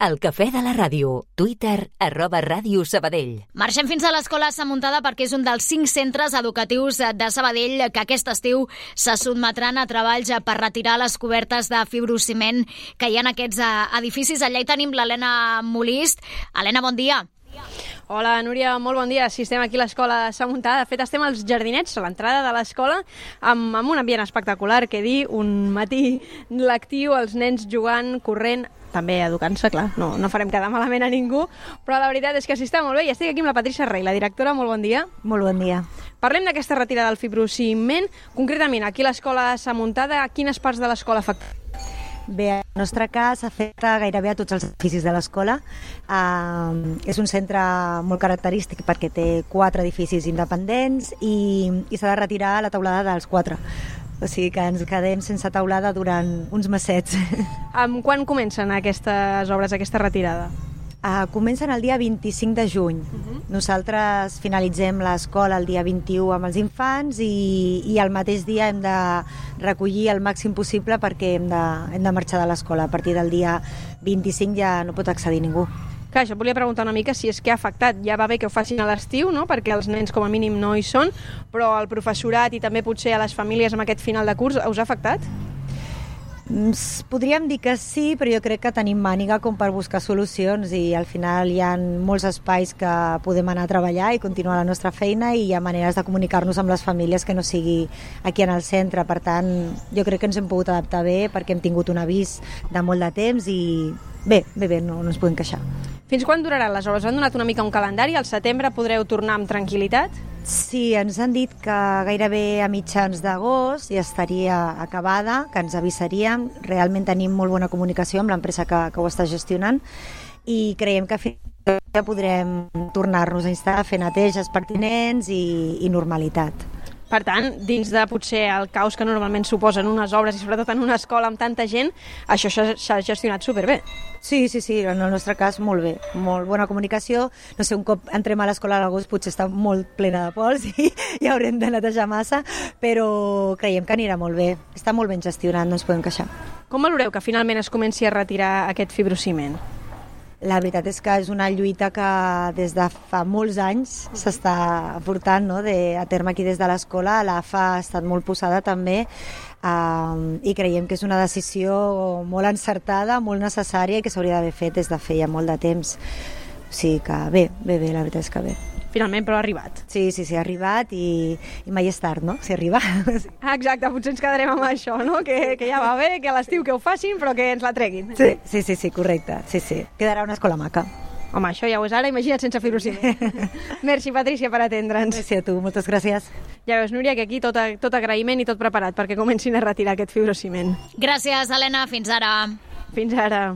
El cafè de la ràdio. Twitter, @Ràdio Sabadell. Marxem fins a l'Escola Sa Muntada perquè és un dels 5 centres educatius de Sabadell que aquest estiu se sotmetran a treballs per retirar les cobertes de fibrociment que hi ha en aquests edificis. Allà hi tenim l'Helena Molist. Helena, bon dia. Hola, Núria, molt bon dia. Sí, estem aquí a l'Escola Sa Muntada. De fet, estem als jardinets, a l'entrada de l'escola, amb un ambient espectacular, que dir, un matí lectiu, els nens jugant, corrent, també educant-se, clar, no farem quedar malament a ningú, però la veritat és que s'hi està molt bé i estic aquí amb la Patricia Rey, la directora. Molt bon dia. Molt bon dia. Parlem d'aquesta retirada del fibrociment. Concretament, aquí a l'Escola Sa Muntada, quines parts de l'escola afecten? Bé, el nostre cas afecta gairebé a tots els edificis de l'escola. És un centre molt característic perquè té 4 edificis independents i s'ha de retirar la teulada dels 4. O sigui que ens quedem sense teulada durant uns mesets. Quan comencen aquestes obres, aquesta retirada? Comencen el dia 25 de juny. Nosaltres finalitzem l'escola el dia 21 amb els infants i el mateix dia hem de recollir el màxim possible perquè hem de marxar de l'escola. A partir del dia 25 ja no pot accedir ningú. Clar, això volia preguntar una mica si és que ha afectat. Ja va bé que ho facin a l'estiu, no?, perquè els nens com a mínim no hi són, però al professorat i també potser a les famílies amb aquest final de curs, us ha afectat? Podríem dir que sí, però jo crec que tenim màniga com per buscar solucions i al final hi ha molts espais que podem anar a treballar i continuar la nostra feina i hi ha maneres de comunicar-nos amb les famílies que no sigui aquí en el centre. Per tant, jo crec que ens hem pogut adaptar bé perquè hem tingut un avís de molt de temps i bé, no ens podem queixar. Fins quan duraran les obres? Han donat una mica un calendari? Al setembre podreu tornar amb tranquil·litat? Sí, ens han dit que gairebé a mitjans d'agost ja estaria acabada, que ens avisaríem. Realment tenim molt bona comunicació amb l'empresa que ho està gestionant i creiem que fins ja podrem tornar-nos a instal·lar, fer neteges pertinents i normalitat. Per tant, dins de potser el caos que normalment suposen unes obres i sobretot en una escola amb tanta gent, això s'ha gestionat superbé. Sí, en el nostre cas molt bé, molt bona comunicació. No sé, un cop entrem a l'escola a l'agost potser està molt plena de pols i ja haurem de netejar massa, però creiem que anirà molt bé. Està molt ben gestionat, no ens podem queixar. Com valoreu que finalment es comenci a retirar aquest fibrociment? La veritat és que és una lluita que des de fa molts anys s'està portant, no?, a terme aquí des de l'escola. L'AFA ha estat molt posada també i creiem que és una decisió molt encertada, molt necessària i que s'hauria d'haver fet des de feia molt de temps. O sigui que bé, la veritat és que bé. Finalment, però ha arribat. Sí, ha arribat i mai és tard, no?, si arriba. Exacte, potser ens quedarem amb això, no?, que ja va bé, que a l'estiu que ho facin, però que ens la treguin. Sí, correcte, sí. Quedarà una escola maca. Home, això ja ho és ara, imagina't sense fibrociment. Merci, Patricia, per atendre'ns. Merci a tu, moltes gràcies. Ja veus, Núria, que aquí tot agraïment i tot preparat perquè comencin a retirar aquest fibrociment. Gràcies, Helena, fins ara. Fins ara.